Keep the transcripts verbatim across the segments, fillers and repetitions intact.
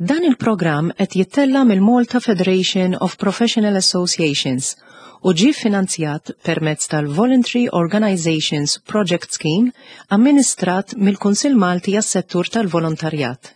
Dan il-programm qed jittella' mill-Malta Federation of Professional Associations u ġie finanzjat permezz tal-Voluntary Organizations Project Scheme amministrat mill-Kunsill Malti għas-Settur tal-Volontarjat.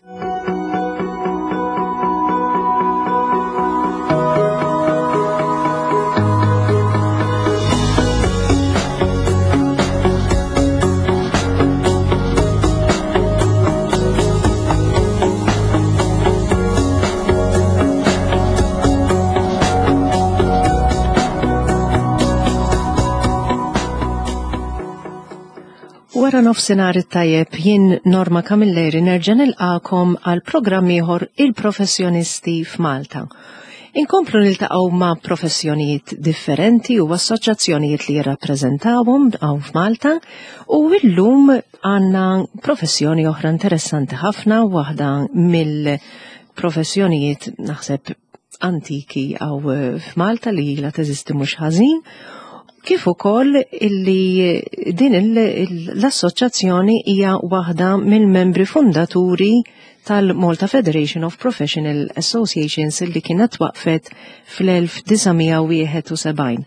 Wara nofsinhar it-tajjeb jien Norma Camilleri nerġa' nilqakom għal programm ieħor il-professjonisti f'Malta. Inkomplu niltaqgħu ma' professjonijiet differenti u assoċjazzjonijiet li jirrappreżentawhom hawn f'Malta u llum għandna professjoni oħra interessanti ħafna, waħda mill-professjonijiet naħseb antiki hawn f'Malta li ilha teżisti mhux ħażin, kif ukoll illi din l-assoċjazzjoni hija waħda mill-membri fundaturi tal-Malta Federation of Professional Associations illi kienet waqfet fl-elf disa' mija wieħed u sebgħin.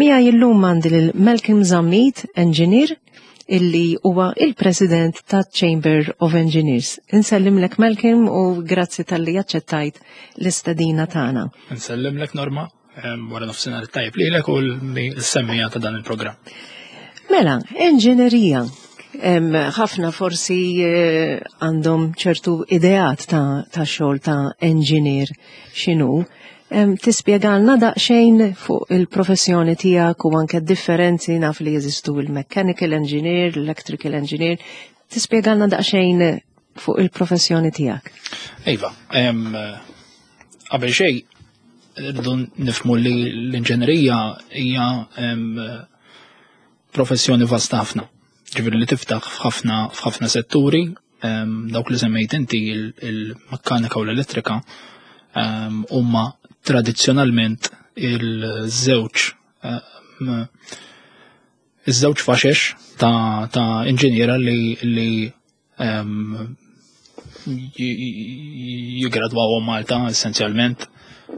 Miegħi llum għandi lil Malcolm Zammit, engineer, illi huwa il-President ta' Chamber of Engineers. Insellimlek Malcolm u grazzi tal-li aċċettajt l-istedina tagħna. Insellimlek Norma, wara nofsinhar tajjeb lilek u l-semmija ta' dan il-programm. Mela, enġinerija. Ħafna forsi, eh, għandhom ċertu ideat ta', ta' xogħol ta' engineer x'inhu. Em, tispjegalna daqsxejn fuq il-professjoni tiegħek u anke differenzi, naf li jeżistu il-mechanical engineer, l-electrical engineer. Tispjegalna daqsxejn fuq il-professjoni tiegħek. Iva, em, qabel xejn rridu nifhmu li l-inġenerija hija, em, professjoni vasta ħafna. Ġifieri li tiftaħ f'ħafna, f'ħafna setturi, em, dawk li semmejt inti il-mekkanika u l-elettrika, em, huma tradizzjonalment il-żewġ, em, iż-żewġ faxex ta', ta' inġiniera li, li, em, jigradwaw Malta essenzjalment.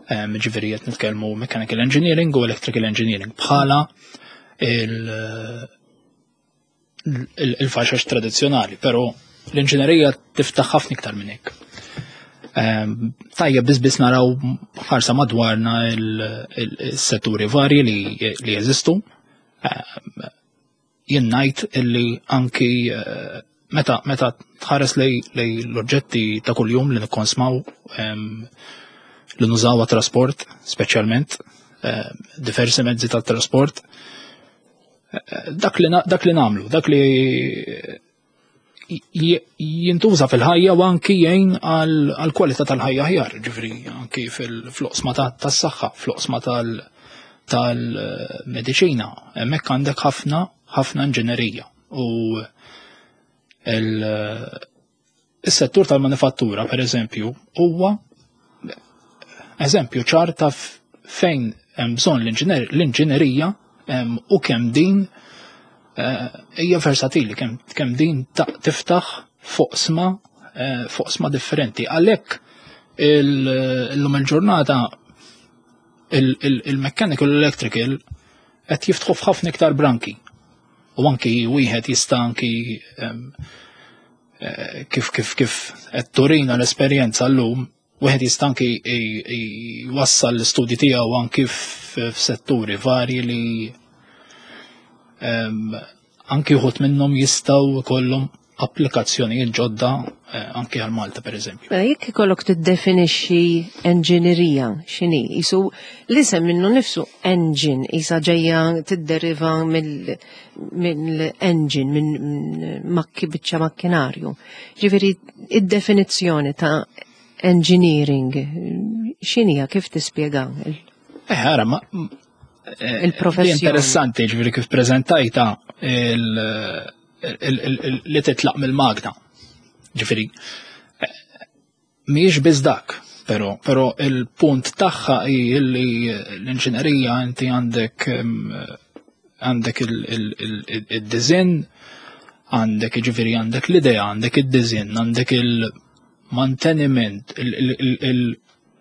Em, ġifieri qed nitkellmu mechanical engineering u electrical engineering bħala il-, il-, il-faxex tradizzjonali, però l-inġinerija tiftaħ ħafna iktar minn hekk. Em, tajjeb biss biss naraw ħarsa madwarna il-, il-, il-setturi varji li, li jeżistu. Em, jien ngħid illi anki, eh, meta, meta tħares lej, lej l-oġġetti ta' kuljum li nikkonsmaw, em, li nużaw għat-trasport, speċjalment, eh, diversi mezzi ta' trasport, eh, dak li na-, dak li namlu, dak li j-, jintuża fil-ħajja u anki jgħin għal, għal kwalità tal-ħajja aħjar, ġifieri anki fil-floqsma ta-, tas-saħħa, floqsma tal-, tal-mediċina, hemmhekk għandek ħafna, ħafna inġinerija. U il-, is-settur tal-manifattura, per eżempju, huwa eżempju ċar ta' f-, fejn hemm bżonn l-inġiner-, l-inġinerija, em, u kemm din, eh, hija versatili, kemm, kemm din ta-, tiftaħ foqsma, eh, foqsma differenti. Għalhekk il-, illum il-ġurnata il-, il-, il-mechanical electrical qed jiftħu f'ħafna iktar branki. U anki wieħed jista' anki, em, eh, kif, kif, kif qed turina l-esperjenza llum, wieħed jista' anki i-, i-, jwassal l-istudji tiegħu anki f-, f'setturi varji li, em, anki wħud minnhom jistgħu jkollhom applikazzjonijiet ġodda, eh, anki għal Malta per eżempju. Mela, jekk ikollok tiddefinixxi enġinerija x'inhi, isu l-isem minnu nifsu engine, isa ġejja tidderiva mill-, mill-engine, minn makki biċċa makkinarju. Ġifieri id-definizzjoni ta' engineering x'inhija, kif tispjega? Eh, ara, ma, eh, Il-professjoni. Interessanti, ġifieri kif preżentajta il-, il-, il-, il-, li titlaq mill-magna. Ġifieri, eh, mhijiex biss dak, però, però il-punt tagħha hi li l-inġinerija inti għandek, em, għandek il-, il-, il-, il-design, għandek ġifieri għandek l-idea, għandek id-design, għandek il- Il-manteniment,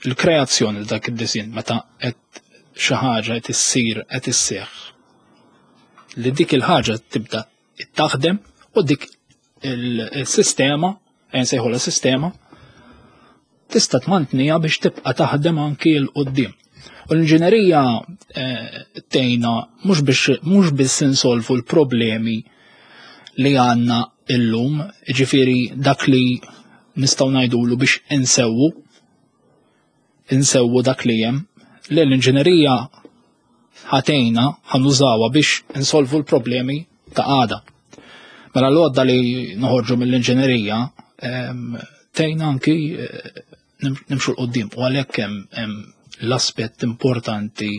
il-kreazzjoni dak id-disinn, meta qed xi ħaġa qed issir, qed isseħħ, li dik il-ħaġa tibda taħdem u dik il-sistema, nsejħu la sistema, tista' tmantnija biex tibqa' taħdem anki 'l quddiem. U l-inġinerija eh, tgħinna mhux biex mhux biss insolvu l-problemi li għandna illum, ġifieri dak li nistgħu ngħidulu biex insewwu insewwu dak li hemm, li l-inġinerija ħa tgħinna, ħa nużawha biex insolvu l-problemi ta' għada. Mela l-għodda li noħorġu mill-inġinerija tgħinna anki eh, nimxu 'l quddiem u għalhekk hemm l-aspett importanti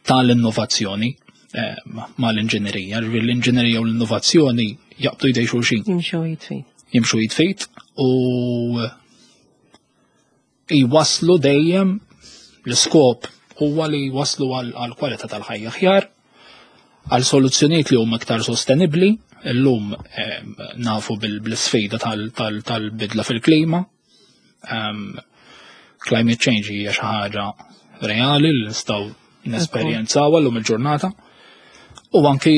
tal-innovazzjoni eh, mal-inġinerija. L-inġinerija u l-innovazzjoni jaqbdu jdej xulxin. Jimxu id f'id. Jimxu id f'id u jwaslu dejjem, l-iskop huwa li jwaslu għal kwalità tal-ħajja aħjar, għal soluzzjonijiet li huma iktar sostenibbli. Illum nafu bil-sfida tal-bidla fil-klima. Climate change hija xi ħaġa reali li nistgħu nesperjenzaw llum il-ġurnata. U anki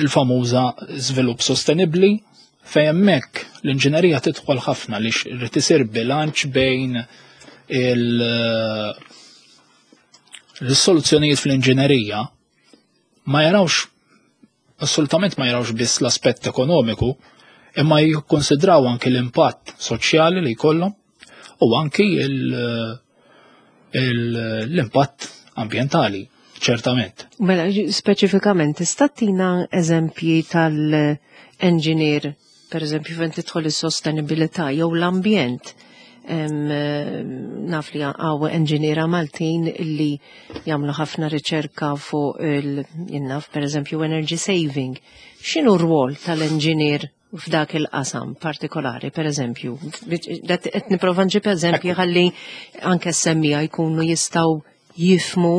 l-famuża żvilupp sostenibbli, fejn hemmhekk l-inġinerija tidħol ħafna li irid isir bilanċ bejn il- l-soluzzjonijiet fl-inġinerija ma jarawx assolutament, ma jarawx biss l-aspett ekonomiku, imma jikkonsidraw anki l-impatt soċjali li jkollhom u anki l-impatt ambientali, ċertament. Mela, speċifikament, tista' ttina eżempji tal-engineer, per eżempju, fejn tidħol is-sostenibilità jew l-ambjent? Naf li hawn enġiniera Maltin illi jagħmlu ħafna riċerka fuq il naf, per eżempju, energy saving. X'inhu r-rwol tal-engineer f'dak il-qasam partikolari, per eżempju? Qed nipprova nġib eżempji ħalli anke s-semmiegħa jkunu jistgħu jifhmu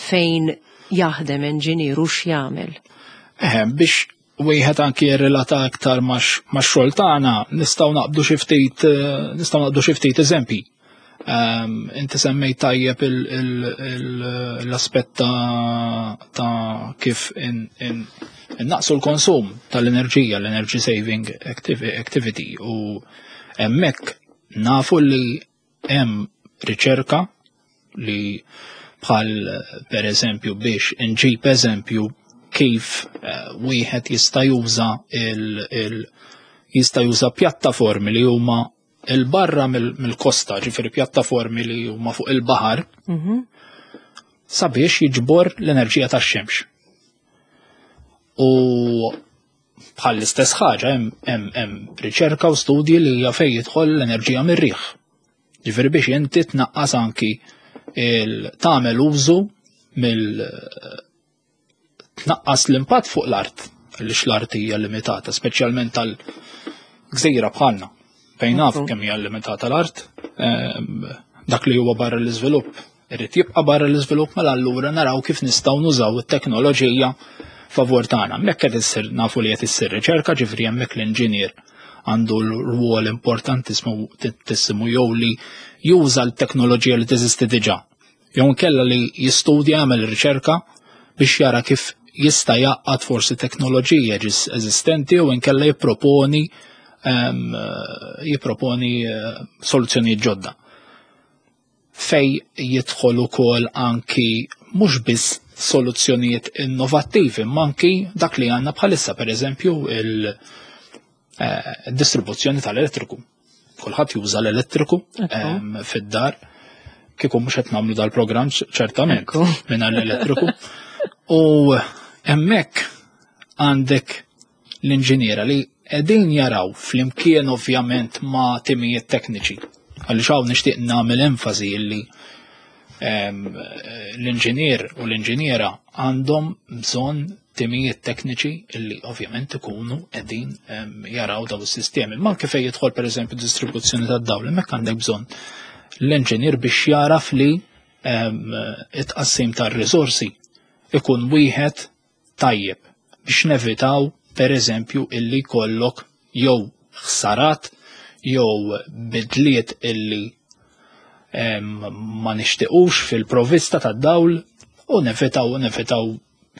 fejn jaħdem engineer u x'jagħmel. Eh, biex wieħed anki jirrelata aktar max-xogħol tagħna, nistgħu naqbdu xi ftit eh, nistgħu naqbdu xi ftit eżempji. Um, inti semmejt tajjeb l-aspett ta' kif innaqsu l-konsum tal-enerġija, l-energy saving activity, u hemmhekk nafu li hemm riċerka li bħal per eżempju, biex nġib eżempju, kif eh, wieħed jista' juża il, il jista' juża pjattaformi li huma 'il barra mill-kosta, ġifieri pjattaformi li huma fuq il-baħar, Mhm. sabiex jiġbor l-enerġija tax-xemx. U bħal l-istess ħaġa hemm hemm hemm riċerka u studji li hija fejn jidħol l-enerġija mir-riħ. Ġifieri biex inti tnaqqas anki il tagħmel użu mill tnaqqas l-impatt fuq l-art, għaliex l-art hija limitata, speċjalment tal-gżira bħalna. Fejn naf Ekku. kemm hija limitata l-art, ehm, dak li huwa barra l-iżvilupp irid jibqa' barra l-iżvilupp, mela allura naraw kif nistgħu nużaw it-teknoloġija favur tagħna. Hemmhekk qed issir, nafu li qed issir riċerka, ġifieri hemmhekk l-inġinier għandu l-rwol importantissimu tissimu jew li juża l-teknoloġija li teżisti diġà. Jew inkella li jistudja, jagħmel riċerka biex jara kif jista' jgħaqqad forsi teknoloġija ġis eżistenti u inkella jipproponi em, jipproponi eh, soluzzjonijiet ġodda. Fej jidħol ukoll anki mhux biss soluzzjonijiet innovattivi, ma anki dak li għandna bħalissa, per eżempju, il-distribuzzjoni tal-elettriku. Kulħadd juża l-elettriku Ekku. em, fid-dar. Kieku mhux qed nagħmlu dal-programm ċertament Ekku. mingħajr l-elettriku. U hemmhekk għandek l-inġiniera li qegħdin jaraw flimkien ovvjament ma' timijiet tekniċi. Għaliex hawn nixtieq nagħmel enfasi illi em, l-inġinier u l-inġiniera għandhom bżonn timijiet tekniċi illi ovvjament ikunu qegħdin em, jaraw daw is-sistemi. Ma kif jidħol, per eżempju, distribuzzjoni tad-dawl, hemmhekk għandek bżonn l-inġinier biex jaraf li em, it-tqassim tar-riżorsi ikun wieħed tajjeb biex nevitaw, per eżempju, illi jkollok jew ħsarat jew bidliet illi ma nixtiequx fil-provvista tad-dawl u nevitaw nevitaw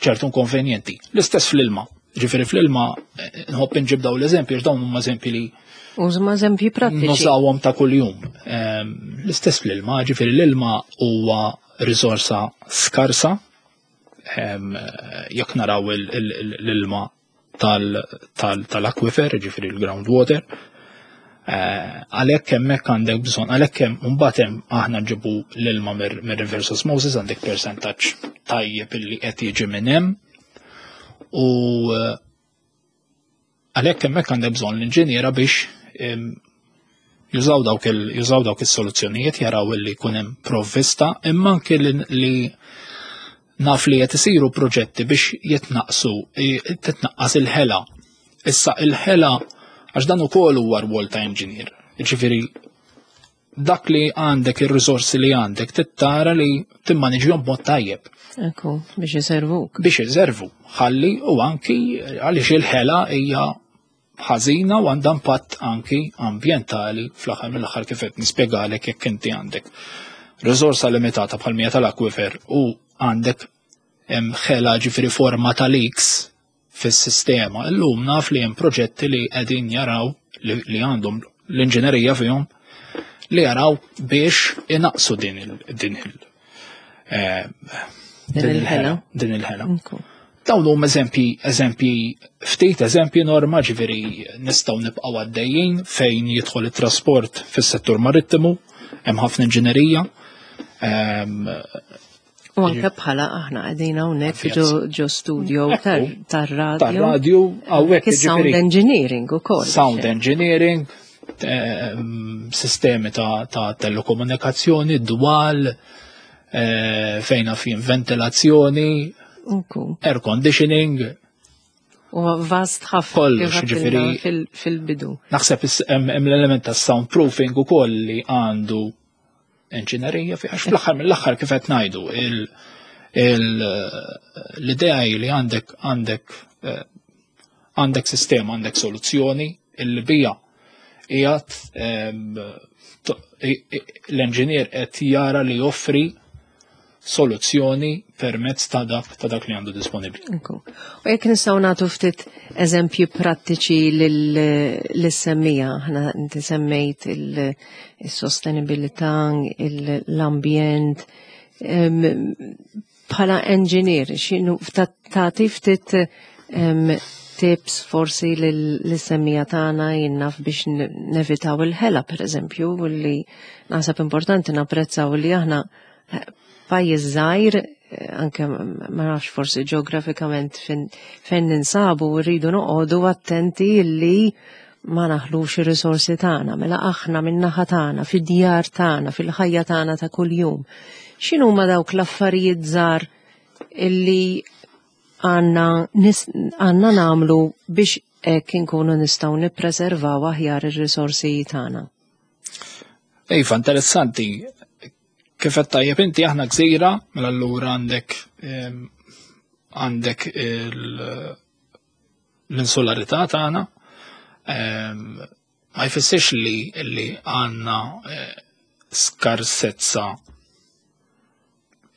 ċertu inkonvenjenti. L-istess fl-ilma. Ġifieri fl-ilma eh, nħobb inġib daw l-eżempji, għax dawn huma eżempji li Użma eżempji prattiċi. Nużawhom ta' kuljum. L-istess fl-ilma, ġifieri l-ilma huwa riżorsa skarsa. Jekk naraw l-ilma tal-akwifer, ġifieri l-groundwater, eh, għalhekk hemmhekk għandek bżonn, għalhekk hemm mbagħad hemm aħna nġibu l-ilma mir-reverse osmosis, għandek percentaġġ tajjeb illi qed jiġi minn hemm. U eh, għalhekk hemmhekk għandek bżonn l-inġiniera biex jużaw dawk jużaw dawk is-soluzzjonijiet, jaraw li jkun hemm provvista, imma anke li naf li qed isiru proġetti biex jitnaqsu titnaqqas il-ħela. Issa il-ħela, għax dan ukoll huwa rwol ta' engineer. Ġifieri dak li għandek, ir-riżorsi li għandek, tittara li timmaniġjhom b'mod tajjeb. Ekku, biex iservuk. Biex iservu, ħalli u anki għaliex il-ħela hija ħażina u għandha impatt anki ambjentali fl-aħħar mill-aħħar, kif qed nispjegalek, jekk inti għandek riżorsa limitata bħal mija tal-akwifer u għandek ħela, ġifieri forma ta' leaks fis-sistema. Illum naf li hemm proġetti li qegħdin jaraw li għandhom l-inġinerija fihom li jaraw biex inaqsu din il din il eh, din il-ħela. Din il-ħela. Dawn huma eżempji, eżempji, ftit eżempji norma, ġifieri nistgħu nibqgħu għaddejjin fejn jidħol it-trasport fis-settur marittimu, hemm ħafna inġinerija. U anke bħala aħna qegħdin hawnhekk ġo studio tar-radio. Tar-radio hawnhekk. Sound engineering ukoll. Sound engineering, sistemi ta', ta telekomunikazzjoni, dwal, eh, fejn fin ventilazzjoni, air conditioning. U vast ħafna. Kollox, ġifieri. Fil-bidu. Naħseb hemm l-element ta' soundproofing ukoll li għandu enġinerija fi, għax fl-aħħar mill-aħħar, kif qed ngħidu, l-idea li għandek għandek eh, għandek sistema, għandek soluzzjoni illi bija qiegħed l-enġinier qed jara li joffri soluzzjoni permezz ta' dak ta' dak li għandu disponibbli. U jekk nistgħu nagħtu ftit eżempji prattiċi lis-semmiegħa, aħna inti semmejt il-sostenibilità, l-ambjent, bħala engineer, x'inhu tagħti ftit tips forsi lis-semmiegħa tagħna, jinnaf, biex nevitaw il-ħela, per eżempju, li naħseb importanti napprezzaw li aħna eh, pajjiż żgħir, eh, anke ma nafx forsi ġeografikament fejn ninsabu, rridu noqogħdu attenti li ma naħlux ir-risorsi tagħna, mela aħna min-naħa tagħna, fid-djar tagħna, fil-ħajja tagħna ta' kuljum. X'inhuma dawk l-affarijiet żgħar illi għandna għandna nagħmlu biex hekk inkunu nistgħu nippreservaw aħjar ir-risorsi tagħna? Iva, interessanti. Kif qed tajjeb inti, aħna gżira, mela allura għandek għandek l-insularità tagħna. Ma jfissirx li li għandna eh, skarsezza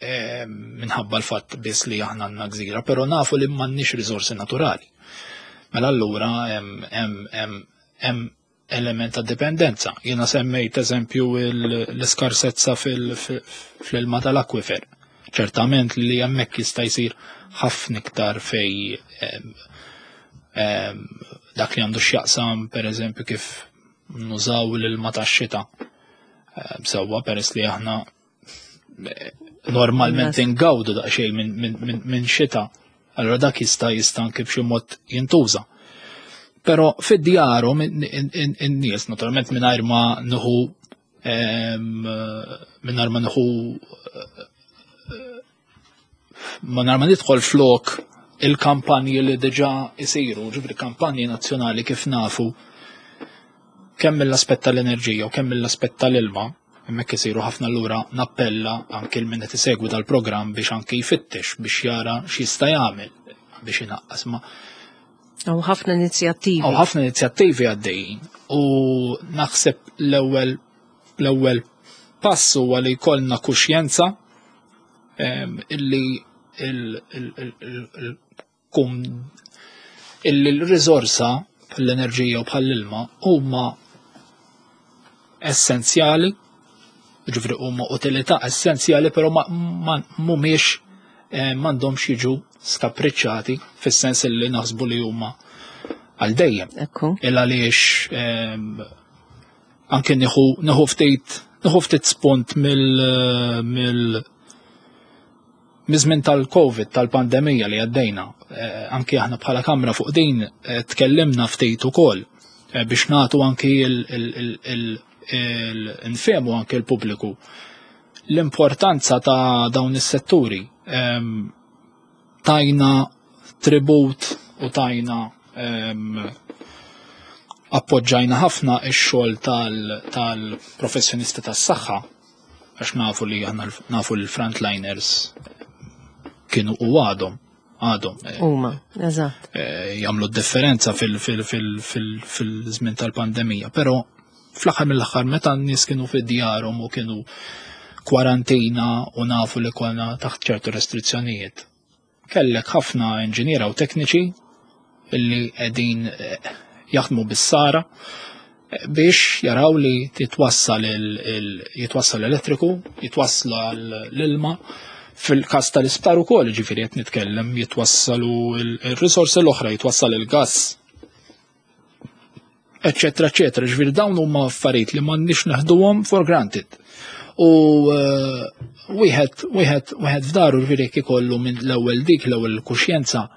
minħabba l-fatt biss li aħna għandna gżira, però nafu li m'għandniex riżorsi naturali. Mela allura hemm element ta' dipendenza. Jiena semmejt eżempju l-iskarsezza fil-ilma tal-akwifer. Ċertament li hemmhekk jista' jsir ħafna iktar fej dak li għandu x'jaqsam, per eżempju, kif nużaw l-ilma tax-xita. Sewwa, peress li aħna eh, normalment ingawdu daqsxejn minn xita, allora dak jista' jista' anke b'xi mod jintuża. Però fid-djarhom in-nies, naturalment mingħajr ma nieħu mingħajr ma nieħu mingħajr ma nidħol flok il-kampanji li diġà isiru, ġifieri kampanji nazzjonali, kif nafu, kemm mill-aspett tal-enerġija u kemm mill-aspett tal-ilma, hemmhekk isiru ħafna. Allura nappella anke l min qed isegwi dal-programm biex anke jfittex biex jara x'jista' jagħmel biex inaqqas. Ma Hawn ħafna inizjattivi. Hawn ħafna inizjattivi għaddejjin. U naħseb l-ewwel l-ewwel pass huwa li jkollna kuxjenza illi il-kum illi l-riżorsa bħall-enerġija u bħall-ilma huma essenzjali, ġifieri huma utilità essenzjali, però ma mhumiex eh, m'għandhomx jiġu skapriċċati fis-sens li naħsbu li huma għal dejjem. Il għaliex anke nieħu nieħu ftit nieħu ftit spunt mill mill miż-żmien tal-Covid, tal-pandemija li għaddejna, eh, anki aħna bħala kamra fuq din eh, tkellimna ftit ukoll eh, biex nagħtu anki il-nfehmu anki l-pubbliku l-importanza ta' dawn is-setturi. Tajna tribut u tajna appoġġajna ħafna ix-xogħol tal-professjonisti tas-saħħa, għax nafu li aħna nafu l-frontliners kienu u għadhom għadhom eh, Huma, eżatt. Eh, jagħmlu differenza fil-żmien tal-pandemija, però fl-aħħar mill-aħħar, meta n-nies kienu fid-djarhom u kienu kwarantina u nafu li konna taħt ċertu restrizzjonijiet, kellek ħafna inġiniera u tekniċi illi qegħdin eh, jaħdmu bis-sara biex jaraw li titwassal jitwassal l-elettriku, jitwassal l-ilma, fil-kas tal-isptar ukoll, ġifieri qed nitkellem jitwassalu il-risorsi l-oħra, jitwassal il-gas, eccetera, eccetera. Ġifieri dawn huma affarijiet li m'għandniex neħduhom for granted. U eh, wieħed wieħed wieħed f'daru, ġifieri jekk ikollu minn l-ewwel dik l-ewwel kuxjenza,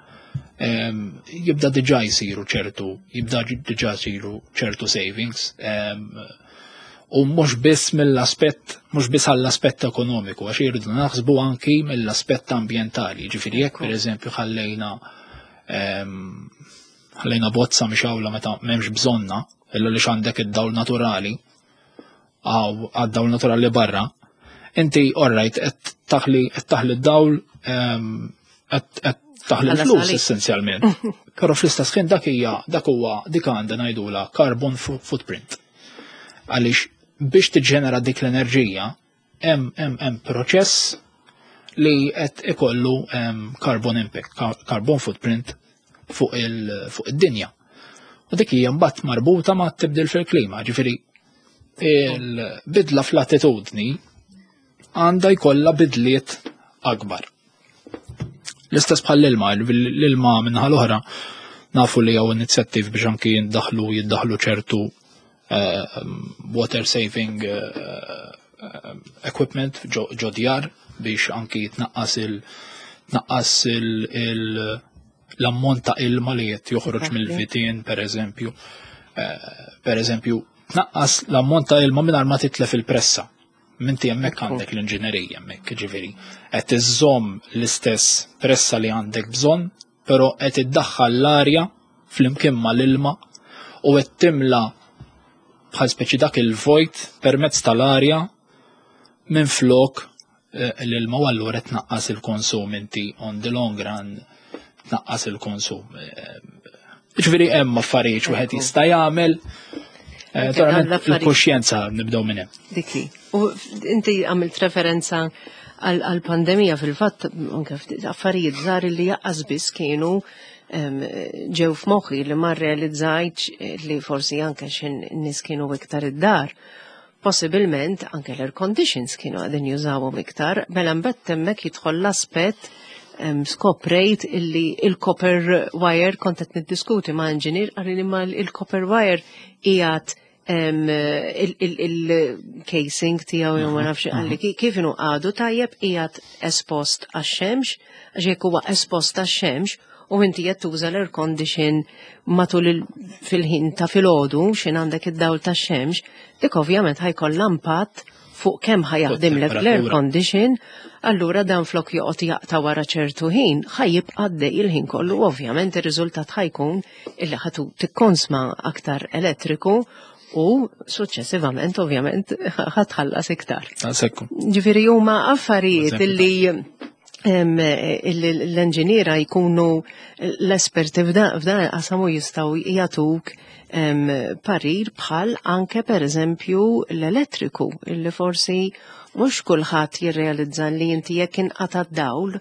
jibda diġà jsiru ċertu, jibda diġà jsiru ċertu savings. U mhux biss mill-aspett, mhux biss għall-aspett ekonomiku, għax irridu naħsbu anki mill-aspett ambjentali. Ġifieri jekk pereżempju ħallejna ħallejna bozza mixgħula meta m'hemmx bżonna, illa li għandek id-dawl naturali, għaw għad-dawl naturali barra, inti alright qed taħli qed taħli d-dawl, qed taħli l-flus essenzjalment. Però fl-istess ħin dak hija dak huwa dik għandha ngħidula carbon footprint. Għaliex biex tiġġenera dik l-enerġija hemm hemm hemm proċess li qed ikollu carbon impact, carbon footprint fuq id-dinja. U dik hija mbagħad marbuta ma' tibdil fil-klima, ġifieri il-bidla fl-attitudni għandha jkollha bidliet akbar. L-istess bħal l-ilma, l-ilma minnaħa l-oħra nafu li hawn inizjattiv biex anki jiddaħlu jiddaħlu ċertu uh, water saving uh, equipment ġo djar biex anki jitnaqqas il tnaqqas il l-ammont ta' ilma li qed joħroġ mill-vitien, per eżempju. Per eżempju, tnaqqas l-ammont ta' ilma mingħajr ma titlef il-pressa. Minti hemmhekk għandek l-inġinerija hemmhekk, ġifieri. Qed iżżomm l-istess pressa li għandek bżonn, però qed iddaħħal l-arja flimkien mal-ilma u qed timla bħal speċi dak il-vojt permezz tal-arja minn flok eh, l-ilma, u allura tnaqqas il-konsum inti, on the long run tnaqqas il-konsum. Eh, ġifieri hemm affarijiet wieħed jista' jagħmel. Eh, il-kuxjenza nibdew minn hemm. Dikli. U inti għamilt referenza għal-pandemija, fil-fatt anke affarijiet żgħar li jaqqas biss kienu ġew f'moħħi li ma realizzajtx li forsi anke xin nies kienu iktar id-dar. Possibilment anke l-air conditions kienu qegħdin jużawhom iktar, mela mbagħad hemmhekk jidħol l-aspett. Skoprejt illi il-copper wire, kont qed niddiskuti ma' engineer, qalli li ma il-copper wire qiegħed il-casing tiegħu jew ma nafx, qalli kif inhu għadu tajjeb, qiegħed espost għax-xemx, għax jekk huwa espost għax-xemx u inti qed tuża l-air condition matul fil-ħin ta' filgħodu xin għandek id-dawl tax-xemx, dik ovvjament ħa jkollha impatt fuq kemm ħa jaħdimlek l-air condition, allura dan flok joqgħod jaqta' wara ċertu ħin, ħa jibqa' għaddej il-ħin kollu, ovvjament ir-riżultat ħa jkun illi ħa tikkonsma aktar elettriku u suċċessivament ovvjament ħa tħallas iktar. Sekku. Ġifieri huma affarijiet illi L-enġiniera jkunu l-esperti f'dan il-qasam u jistgħu jagħtuk parir bħal anke per eżempju l-elettriku, illi forsi mhux kulħadd jirrealizza li inti jekk inqata' dawl u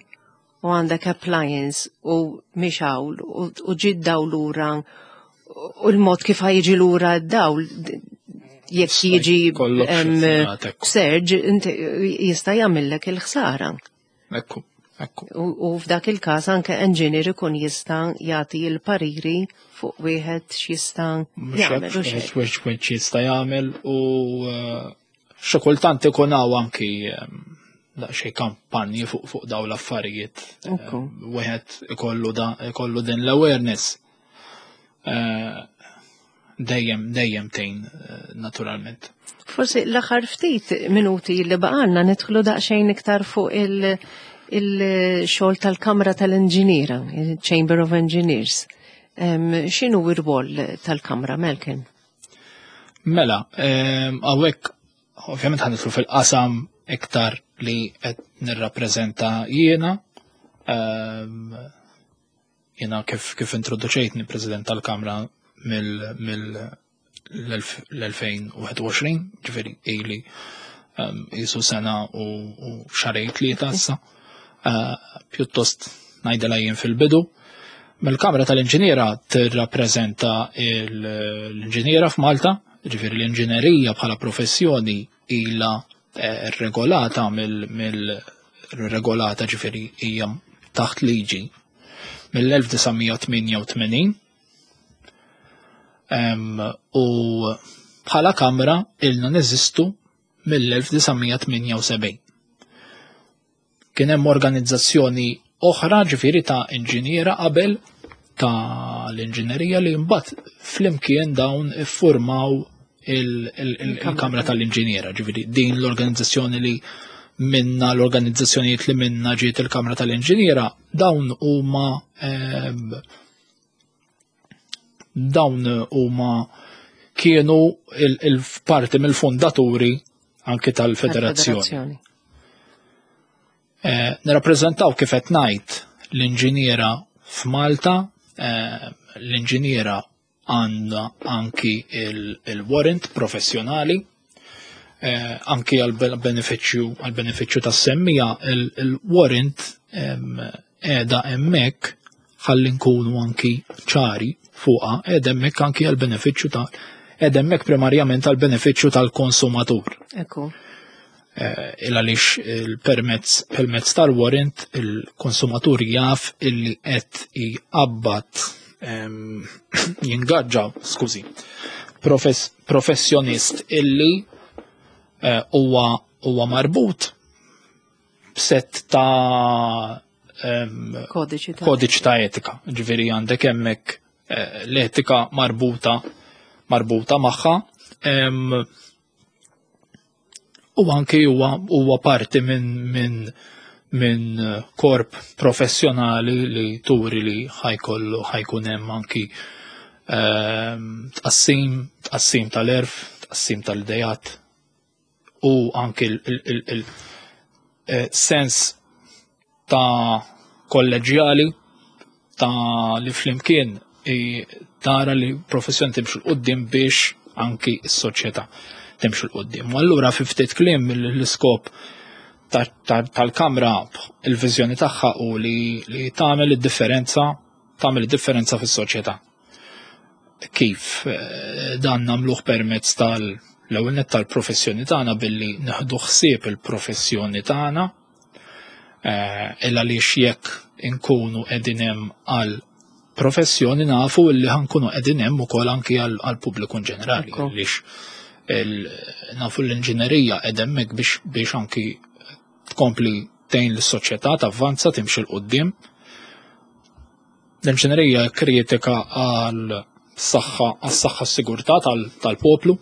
għandek appliance u mixgħul u ġie dawl lura u l-mod kif ħa jiġi lura d-dawl jekk jiġi surge jista' jagħmellek il-ħsara. Ekku, ekku. U f'dak il-każ anke engineer ikun jista' jagħti l-pariri fuq wieħed x'jista' jagħmel. Wieħed jista' jagħmel u xi kultant ikun hawn anki daqsxejn kampanji fuq fuq dawn l-affarijiet. Wieħed ikollu da ikollu din l-awareness. Dejjem dejjem tgħin naturalment. Forsi l-aħħar ftit minuti li baqgħalna nidħlu daqsxejn iktar fuq il-xogħol tal-Kamra tal-Inġiniera, il-Chamber of Engineers. X'inhu r-rwol tal-Kamra, Malcolm? Mela, hawnhekk ovvjament ħa nidħlu fil-qasam iktar li qed nirrappreżenta jiena. Jiena kif kif introduċejtni President tal-Kamra mill-elfejn u wieħed u għoxrin, ġifieri ili jisu sena u xahrejn tlieta issa. Pjuttost ngħidilha jien fil-bidu. Mill-Kamra tal-Inġiniera tirrappreżenta l-inġiniera f'Malta, ġifieri l-inġinerija bħala professjoni ilha regolata mill-regolata ġifieri hija taħt liġi mill-elf disa' mija u tmienja u tmenin. U bħala kamra ilna neżistu mill-elf disa' mija tmienja u sebgħin. Kien hemm organizzazzjoni oħra ġifieri ta' inġiniera qabel ta' l-inġinerija li mbagħad flimkien dawn iffurmaw il-Kamra tal-Inġiniera, ġifieri din l-organizzazzjoni li minna l-organizzazzjonijiet li minna ġiet il-Kamra tal-Inġiniera, dawn huma dawn huma kienu il-parti mill-fondaturi anke tal-federazzjoni. Nirrappreżentaw kif qed ngħid l-inġiniera f'Malta, l-inġiniera għandha anki il-warrant professjonali, anki għal-benefiċċju għal-benefiċċju tas-semmija il-warrant qiegħda hemmhekk ħalli nkunu anki ċari fuqha, qiegħda hemmhekk anki għal-benefiċċju ta' qiegħda hemmhekk primarjament għal-benefiċċju tal-konsumatur. Ekku. Il għaliex il-permezz permezz tal-warrant il-konsumatur jaf illi qed jqabbad jingaġġa, skużi, professjonist illi huwa huwa marbut b'sett ta' kodiċi ta' etika. Ġifieri għandek hemmhekk l-etika marbuta marbuta magħha. U anki huwa huwa parti minn minn minn korp professjonali li turi li ħajkollu ħajkun hemm anki tqassim, tqassim tal-erf, tqassim tal-idejat u anki il-sens ta' kolleġjali ta' li flimkien tara li professjoni timxu l-qoddim biex anki s-soċjetà timxu l-qoddim. U allura fi ftit kliem l-iskop tal-Kamra, il-viżjoni tagħha u li tagħmel id-differenza, tagħmel id-differenza fis-soċjetà. Kif dan nagħmluh permezz tal-ewwel nett tal-professjoni tagħna billi neħdu ħsieb il-professjoni tagħna, il għaliex jekk inkunu qegħdin hemm għal professjoni nafu li ħankunu qegħdin hemm ukoll anki għal pubbliku in ġenerali, għaliex nafu l-inġinerija qed hemmhekk biex biex anki tkompli tgħin lis-soċjetà tavvanza timxi 'l quddiem. L-inġinerija kritika għal saħħa għas-saħħa s-sigurtà tal-poplu,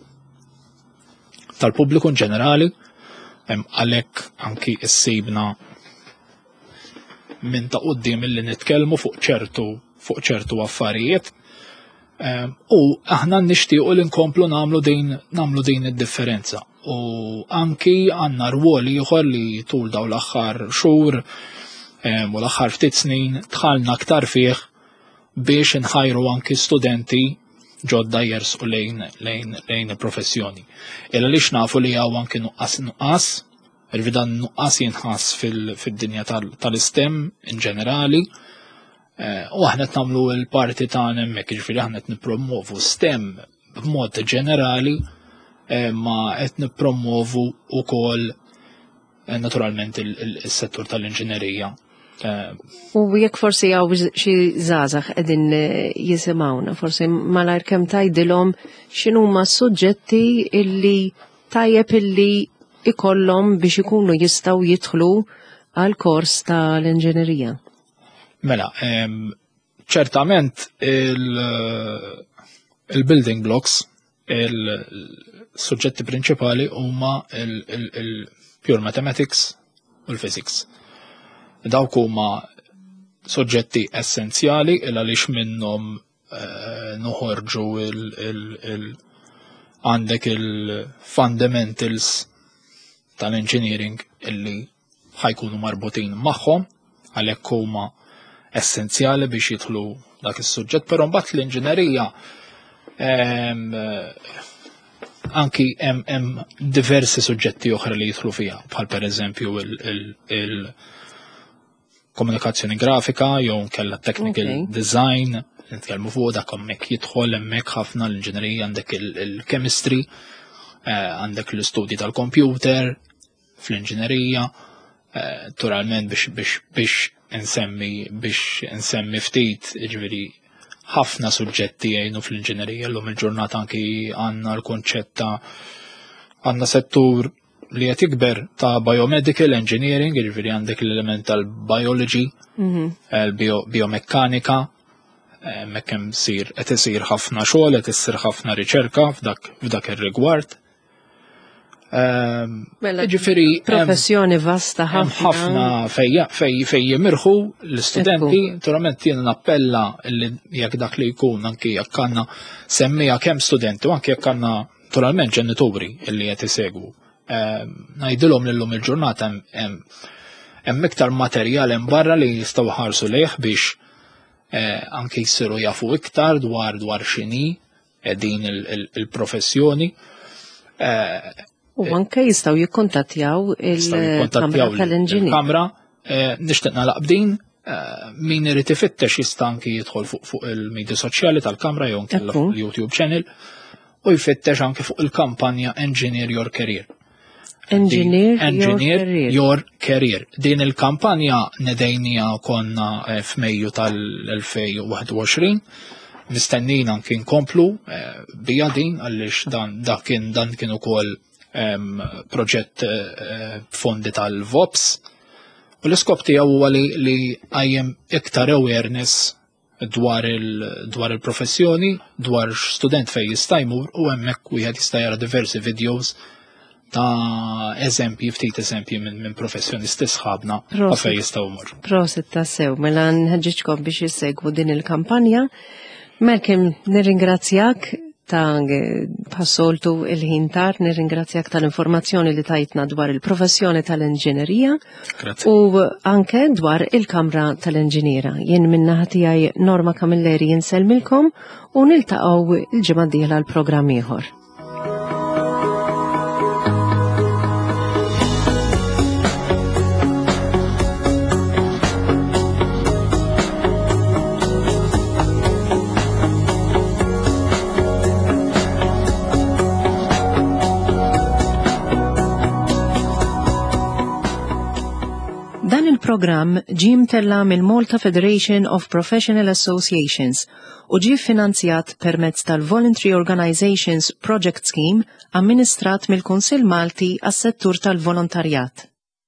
tal-pubbliku in ġenerali, għalhekk anki issibna minn ta' quddiem illi nitkellmu fuq ċertu fuq ċertu affarijiet. U aħna nixtiequ li nkomplu nagħmlu din nagħmlu din id-differenza. U anki għandna rwol ieħor li tul dawn l-aħħar xhur U l-aħħar ftit snin dħalna aktar fih biex nħajru anki studenti ġodda jersqu lejn lejn lejn il-professjoni. Illa lix nafu li hawn anki nuqqas nuqqas, il-vidan nuqqas jinħass fil-dinja tal-STEM in ġenerali, eh, u aħna qed nagħmlu l-parti tagħna hemmhekk, jiġifieri aħna qed nippromovu STEM b'mod ġenerali, eh, ma qed nippromovu wkoll eh, naturalment il-settur tal-inġinerija. U jekk forsi hawn xi żgħażagħ qegħdin jisimgħuna, forsi malajr kemm tgħidilhom x'inhuma s-suġġetti illi tajjeb illi ikollhom biex ikunu jistgħu jidħlu għal kors tal-inġinerija. Mela, ċertament il-building blocks, il-suġġetti prinċipali huma il-pure mathematics u l-physics. Dawk huma soġġetti essenzjali il għaliex minnhom eh, noħorġu il għandek il-fundamentals tal-engineering illi ħa jkunu marbutin magħhom, għalhekk huma essenzjali biex jidħlu dak is-suġġett, però mbagħad l-inġinerija anki hemm diversi suġġetti oħra li jidħlu fiha, bħal pereżempju il komunikazzjoni grafika jew kella technical okay. design, nitkellmu fuq dak hemmhekk jidħol hemmhekk ħafna l-inġinerija, għandek il-chemistry, eh, għandek l-istudji tal-computer fl-inġinerija, eh, naturalment biex biex biex insemmi biex insemmi ftit, ġifieri ħafna suġġetti jgħinu fl-inġinerija. Llum il-ġurnata anki għandna l-konċett ta' għandna settur li qed jikber ta' biomedical engineering, jiġifieri għandek l-element tal-biology, mhm. il-biomekkanika, hemmhekk hemm sir qed isir ħafna xogħol, qed issir ħafna riċerka f'dak f'dak ir-rigward. Ehm, Mela, Ġifieri professjoni vasta hemm ħafna. ħafna fej fej fej jimirħu l-istudenti, naturalment jiena nappella li jekk dak li jkun, anki jekk għandna semmija kemm studenti u anki jekk għandna naturalment ġenituri illi qed isegwu. Ehm, Ngħidilhom li llum il-ġurnata hemm- hemm hemm iktar materjal hemm barra li jistgħu ħarsu lejh biex eh, anki jsiru jafu iktar dwar dwar x'inhi eh, din il- il- il-professjoni. Eh, U anke jistgħu jikkontattjaw jistgħu il-Kamra jikkontattjaw tal-Inġinier. il-Kamra. Eh, Nixtieq nagħlaq b'din, eh, min irid ifittex jista' anki jidħol fuq fuq il-medja soċjali tal-Kamra jew nkella Ekku. fuq il-YouTube channel u jfittex anki fuq il-kampanja Engineer Your Career. Engineer, Engineer Your Career. Your Career. Din il-kampanja nedejnija konna eh, f'Mejju tal-elfejn u wieħed u għoxrin. Mistennin anki nkomplu eh, bija din għaliex dan dak kien dan kien ukoll em, proġett eh, fondi tal-V O P S. U l-iskop tiegħu huwa li li qajjem iktar awareness dwar il dwar il-professjoni, dwar student fej jista' jmur, u hemmhekk wieħed jista' jara diversi videos ta' eżempji, ftit eżempji minn min professjonisti sħabna ta' Prosit. fej jistgħu jmorru. Prosit tassew, mela nħeġġiġkom biex jissegwu din il-kampanja. Malcolm, nirringrazzjak ta' bħas-soltu il-ħin tar, nirringrazzjak tal-informazzjoni li tajtna dwar il-professjoni tal-inġinerija Grazzi. u anke dwar il-Kamra tal-Inġiniera. Jien min-naħa tiegħi Norma Camilleri insellmilkom u niltaqgħu il-ġimgħa d-dieħla l-programm ieħor. Dan il-programm ġie mtella mill-Malta Federation of Professional Associations u ġie finanzjat permezz tal-Voluntary Organizations Project Scheme amministrat mill-Kunsill Malti għas-settur tal-volontarjat.